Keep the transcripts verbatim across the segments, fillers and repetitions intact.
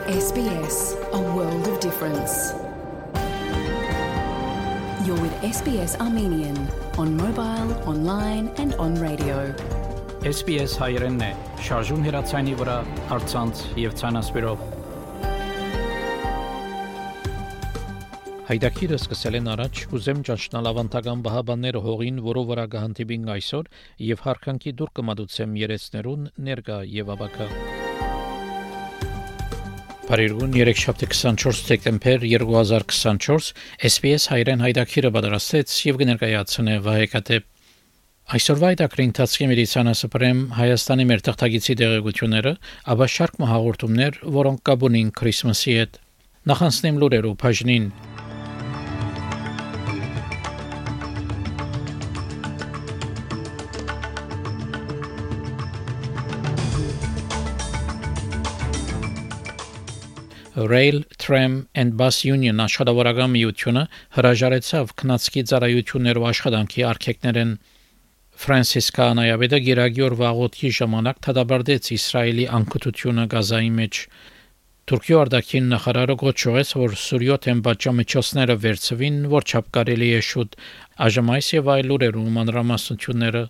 S B S, a world of difference. You're with S B S Armenian on mobile, online and on radio. S B S հայերենն է, շարժուն հեռացայինի վրա, առցանց եւ ցանասպիրով։ Հայդակիրը սկսել են առաջ, ուզեմ ճանչնալ ավանդական բահաբանները հողին, որով վրա կհանդիպին այսօր եւ հարկանքի դուր կմատուցեմ երեցներուն ներկա եւ աբակա։ Բարերուն երեքշաբթի քսանչորս դեկտեմբեր երկու հազար քսանչորս S B S հայերեն հայդակիրը պատրաստեց եւ կներկայացնե Վահեկատեպ։ Այսօրվա հայդակրի ընթացքի մեդիցինասպրեմ Հայաստանի մեր թղթագիտի դեղեցությունները, ապա շարք հաղորդումներ, որոնք կապունին Քրիսմասի հետ։ Նախանցնեմ լուրերով բաժնին։ Rail, Tram and Bus Union աշխատավորական միությունը հրաժարեցավ քննածքի ծառայություններով աշխատանքի արգելքներն։ Ֆրանսիս Կանայավեդը գերագյուր վաղոթի ժամանակ դադարեցրեց Իսրայելի անկutությունը Գազայի մեջ։ Թուրքիա արտաքին նախարարը գոչեց, որ Սուրիոթեն պատժամիջոցները վերցվին, որ չափ կարելի է շուտ այժմ այս եւ այլ լուրերում մանրամասնությունները։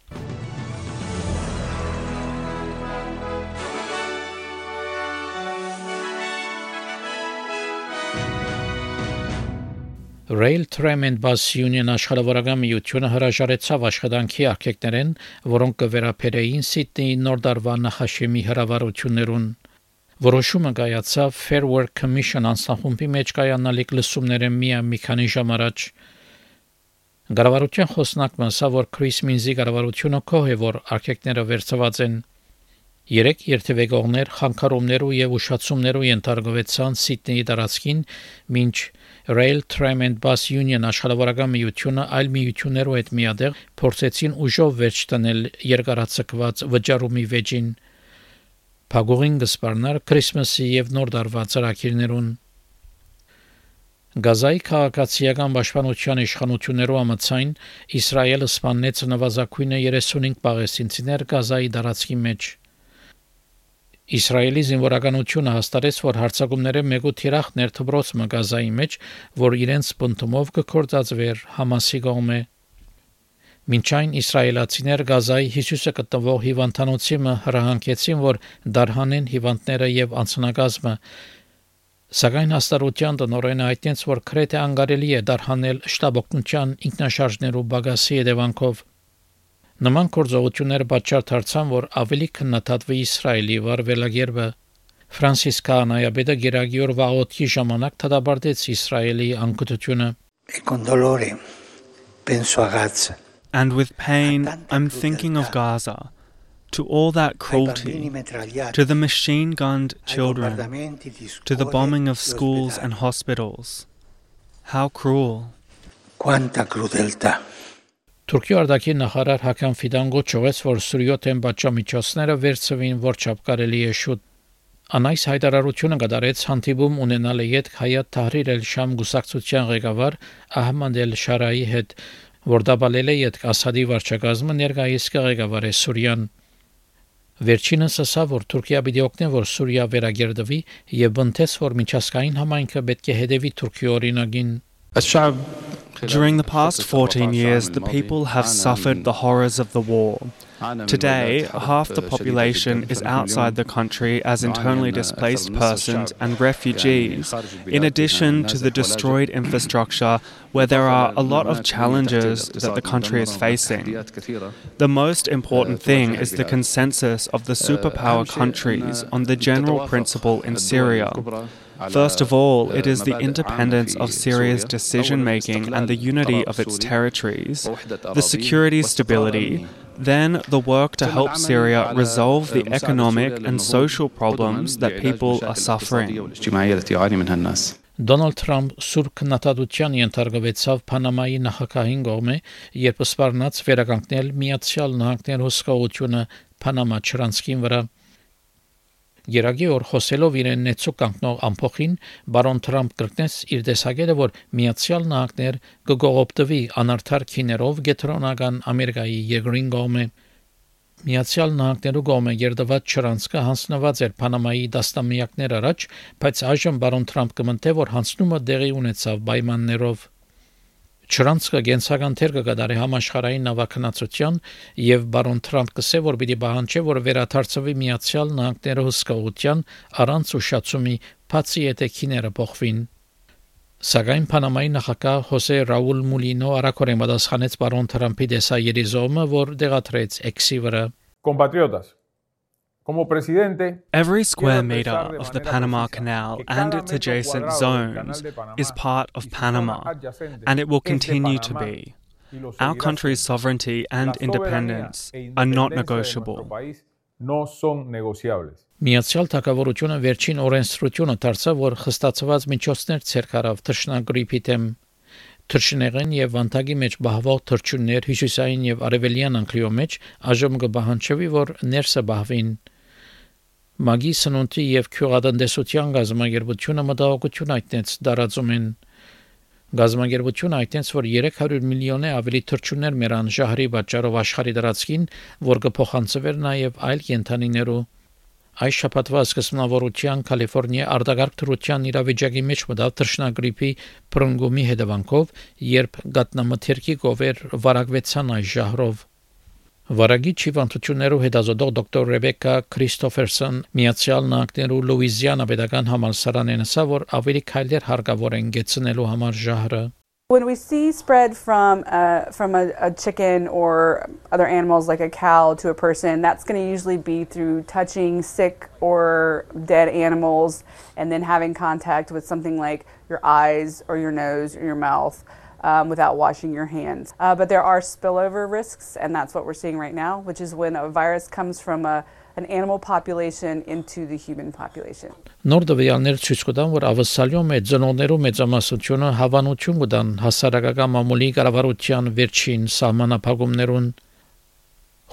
Rail, Tram and Bus Union աշխատավորական միությունը հրաժարեցավ աշխատանքի արգելքներն, որոնք կվերապերեին Սիդնեի նոր տարվա նախաշեմի հրավառություններուն։ Որոշումը կայացավ Fair Work Commission անձնախումբի մեջ կայանալիք լսումները մի քանի ժամ առաջ։ Կառավարության խոսնակն ասավ, որ Քրիս Մինզի կառավարությունը կողմ է, որ արգելքները վերցված են։ Երեք երթևեկողներ խանգարումներու եւ ուշացումներու ենթարկվեցան Սիդնեի տարածքին, մինչ Rail, Tram and Bus Union աշխատավորական միությունը այլ միություններով հետ միադեղ փորձեցին ուժով վերջ տանել երկարացկված վճարումի վեճին։ Փագողին գսպարնար Քրիսմասի եւ նոր տարվա ծրագիրներուն։ Գազայի քաղաքացիական պաշտպանության իշխանություններով ամացայն Իսրայելը սպանեց նվազագույնը երեսունհինգ պաղեստինցիներ Գազայի տարածքի մեջ։ Իսրայելի զինվորականությունը հաստատեց, որ հարձակումները մեկ թիրախ ներթբրոց Գազայի մեջ, որ իրենց բնտումով կգործածվեր Համասի կողմէ։ Մինչ այն իսրայելացիներ Գազայի Հիսուսը գտնվող հիվանդանոցի հրահանգեցին, որ դարհանեն հիվանդները եւ անձնակազմը, սակայն հաստատության տնօրենը հայտնեց, որ քրեթե անկարելի է դարհանել շտաբօգնության ինքնաշարժներու բագասի հետևանքով։ Նման գործողությունները պատճառ դարձան, որ ավելի քննադատվի Իսրայելի վարվելագերբը։ Ֆրանսիս Կանայավեդը գերագյուր վաղոթի ժամանակ դադարեցրեց Իսրայելի անկutությունը։ And with pain, I'm thinking of Gaza, to all that cruelty, to the machine-gunned children, to the bombing of schools and hospitals. How cruel. Quanta crudeltà. Թուրքիա արտաքին նախարար Հական Ֆիդան գոչեց, որ Սուրիոթեն պատժամիջոցները վերցվին, որ չափ կարելի է շուտ։ Անայս հայտարարությունը կատարեց հանդիպում ունենալի հետ Հայաթ Թահրիր էլ-Շամ գուսակցության ղեկավար Ահմադ էլ-Շարայի հետ, որ դաբալել է յետ Ասադի վարչակազմը ներկայիս ղեկավար է Սուրիան։ Վերջինս ասավ, որ Թուրքիա պիտի օգնի, որ Սուրիա վերագերդվի եւ բնթեց, որ միջազգային համայնքը պետք է հետևի Թուրքիա օրինագին։ During the past fourteen years, the people have suffered the horrors of the war. Today, half the population is outside the country as internally displaced persons and refugees, in addition to the destroyed infrastructure where there are a lot of challenges that the country is facing. The most important thing is the consensus of the superpower countries on the general principle in Syria. First of all, it is the independence of Syria's decision-making and the unity of its territories, the security stability, then the work to help Syria resolve the economic and social problems that people are suffering. Դոնալդ Թրամփ սուր քննադատության ենթարկվեցավ Պանամայի նախագահին կողմէ, երբ սպառնաց վերականգնել Միացյալ Նահանգներ հսկողությունը Պանամա չրանցքին վրա։ Գերագի օր խոսելով իրեն նեցու կանգնող ամփոխին, բարոն Թրամփ կրկնեց իր տեսակետը, որ Միացյալ Նահանգներ կգողոպտվի անարդար քիներով գետրոնական Ամերիկայի երկրին կողմէ։ Միացյալ Նահանգներու կողմէ երդված չրանցքը հանձնված էր Պանամայի դաստամիակներ առաջ, բայց այժմ բարոն Թրամփ կմնթե, որ հանձնումը դեղի ունեցավ պայմաններով։ Չրանցքը գենսական թեր կգադարի համաշխարհային նավակնացության եւ բարոն Թրամփ կսե, որ պիտի պահանջի, որ վերադարձվի Միացյալ Նահանգները հսկողության առանց ուշացումի, բացի եթե քիները փոխվին։ Սակայն Պանամայի նախագահ Հոսե Ռաուլ Մուլինո արագորեն պատասխանեց բարոն Թրամփի դեսայերիզումը, որ դեղատրեց X-ի վրա։ Compatriotas, como presidente, every square meter of the Panama Canal and its adjacent zones is part of Panama, and it will continue to be. Our country's sovereignty and independence are not negotiable. No son negociables. Միացյալ Թագավորությունը վերջին օրենսդրությունը դարձավ, որ խստացված միջոցներ ցերկարավ թռչնագրիպի դեմ։ Թռչնեղեն եւ վանտագի մեջ բահվող թռչուններ հյուսիսային եւ արևելյան անկլիո մեջ այժմ կբահանջվի, որ ներսը բահվին։ Մագի սնունդի եւ քյուղատնտեսության գազամագերբությունը մտահոգություն այտնեց դարածումին։ Գազամագերբությունը այտնեց, որ երեք հարյուր միլիոն ավելի թռչուններ մեռան ժահրի պատճառով աշխարհի դրացքին, որ կփոխանցվեր նաեւ այլ կենթանիներու։ Այս շաբաթվա սկզբնավորության Կալիֆոռնիա արտագաղթ դրության իրավիճակի մեջ մտավ թռչնագրիպի բռնգումի հետևանքով, երբ գատնամթերքի գովեր վարակվեցան այս ժահրով։ Վարագի հիվանդություններով հետազոտող դոկտոր Ռեբեկա Քրիստոֆերսոն Միացյալ Նահանգներու Լուիզիանա պետական համալսարանեն ասա, որ ավելի քայլեր հարկավոր են գեցնելու համար ժահրը։ When we see spread from uh, from a, a chicken or other animals like a cow to a person, that's going to usually be through touching sick or dead animals and then having contact with something like your eyes or your nose or your mouth um, without washing your hands. Uh, but there are spillover risks, and that's what we're seeing right now, which is when a virus comes from a an animal population into the human population. Նոր դվյալներ ցույց կտան, որ ավսալյո մեծ ծնողներու մեծամասնությունը հավանություն կտան հասարակական մամուլի կառավարության վերջին սահմանափակումներուն։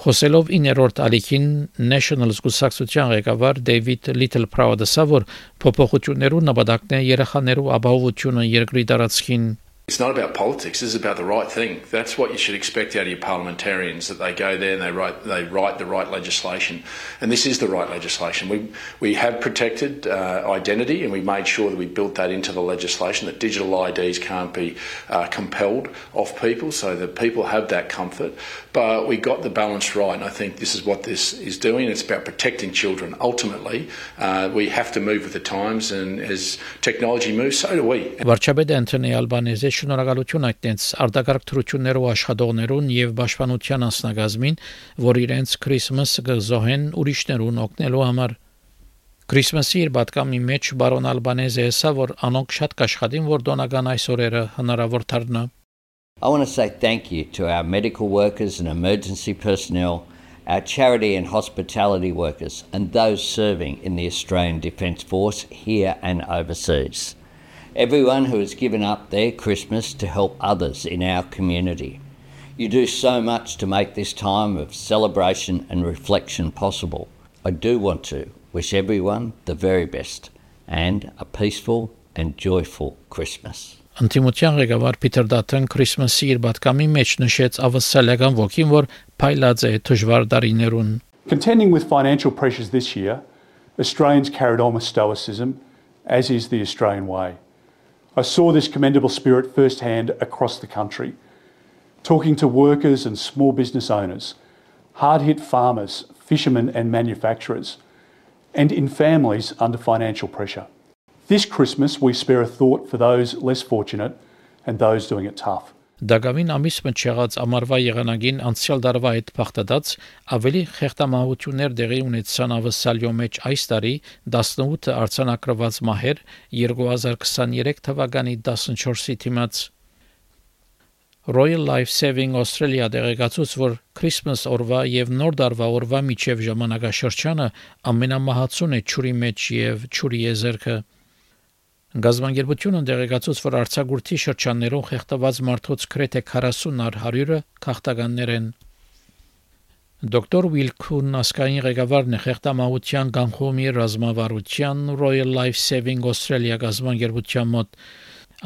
Խոսելով իներորդ ալիքին National զգուշացության ղեկավար Դեյվիդ Լիթլփրաուդը ասա, որ փոփոխություններու նպատակն է երեխաներու ապահովությունը երկրի տարածքին։ It's not about politics, this is about the right thing. That's what you should expect out of your parliamentarians, that they go there and they write they write the right legislation. And this is the right legislation. We we have protected uh, identity, and we made sure that we built that into the legislation, that digital I Ds can't be uh, compelled off people, so that people have that comfort. But we got the balance right, and I think this is what this is doing. It's about protecting children. Ultimately, uh, we have to move with the times, and as technology moves, so do we. Վարչապետ Անթոնի Ալբանեզը շնորհակալություն այդտենց արտակարգ թրություններով աշխատողներուն եւ պաշտպանության անձնագազմին, որ իրենց Քրիսմասը կզոհեն ուրիշներուն օգնելու համար։ Քրիսմասի իր պատկամի մեջ բարոն Ալբանեզը ասա, որ անոնք շատ կաշխատին, որ դոնական այս օրերը հնարավոր դառնա։ I want to say thank you to our medical workers and emergency personnel, our charity and hospitality workers, and those serving in the Australian Defence Force here and overseas. Everyone who has given up their Christmas to help others in our community. You do so much to make this time of celebration and reflection possible. I do want to wish everyone the very best and a peaceful and joyful Christmas. Անտիմության ղեկավար Փիթեր Դաթեն Քրիսմասի իր պատկամի մեջ նշեց ավսալական ոգին, որ փայլած է դժվար դարիներուն։ Contending with financial pressures this year, Australians carried on with stoicism, as is the Australian way. I saw this commendable spirit firsthand across the country, talking to workers and small business owners, hard-hit farmers, fishermen and manufacturers, and in families under financial pressure. This Christmas we spare a thought for those less fortunate and those doing it tough. Դագավին ամիս մեջ եղած ամառվա եղանակին անցյալ դարվա հետ փախտած ավելի խեղդամահություններ դեղի ունեցան ավսալյո մեջ այս տարի տասնութ արձանագրված մահեր երկու հազար քսաներեք թվականի տասնչորսի դիմաց։ Royal Life Saving Australia դեղեկացուց, որ Christmas օրվա եւ նոր դարվա օրվա միջև ժամանակաշրջանը ամենամահացուն է ճուրի մեջ եւ ճուրի եզերքը։ Գազամագերբությունը դեղեկացուց, որ արձակուրդի շրջաններում խեղդված մարդոց գրեթե քառասուն առ հարյուրը քաղաքականներ են։ Դոկտոր Ուիլքուն ասկային ղեկավարն է խեղդամահության կանխումի ռազմավարության Royal Life Saving Australia գազամագերբության մոտ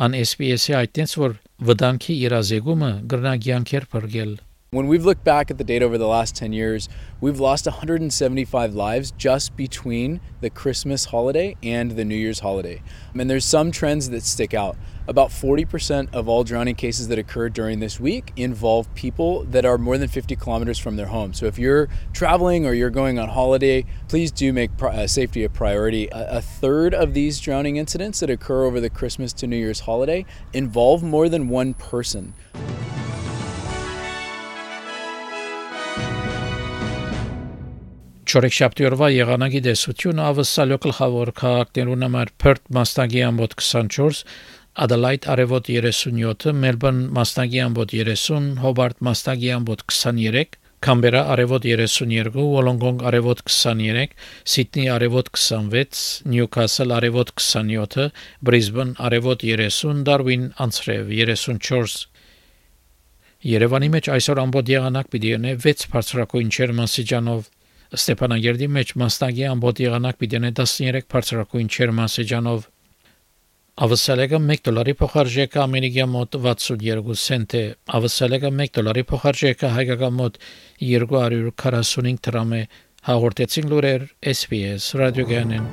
ան S B S-ի այդտենց, որ վտանգի իրազեկումը գրնագյանքեր բրգել։ When we've looked back at the data over the last ten years, we've lost one hundred seventy-five lives just between the Christmas holiday and the New Year's holiday. And there's some trends that stick out. About forty percent of all drowning cases that occur during this week involve people that are more than fifty kilometers from their home. So if you're traveling or you're going on holiday, please do make uh, safety a priority. A, a third of these drowning incidents that occur over the Christmas to New Year's holiday involve more than one person. Չորեքշաբթի օրվա եղանակի դեսությունը ավսալյո գլխավոր քաղաքներուն համար Perth մաստագի ամբոտ twenty-four, Adelaide արևոտ thirty-seven, Melbourne մաստագի ամբոտ thirty, Hobart մաստագի ամբոտ twenty-three, Canberra արևոտ thirty-two, Wollongong արևոտ twenty-three, Sydney արևոտ twenty-six, Newcastle արևոտ twenty-seven, Brisbane արևոտ thirty, Darwin անցրև thirty-four. Երևանի մեջ այսօր ամբոտ եղանակ պիտի ունենա six բարձրակույն ջերմաստիճանով, Ստեփանագերդի մեջ մաստագի ամբոտ եղանակ պիտի ունենա thirteen բարձրակույն ջերմաստիճանով, Ավսալեգը one դոլարի փոխարժեքը ամերիկյան մոտ sixty-two سنت է, Ավսալեգը one դոլարի փոխարժեքը հայկական մոտ two forty-five դրամ է, հաղորդեցին լուրեր S B S ռադիոգյանեն։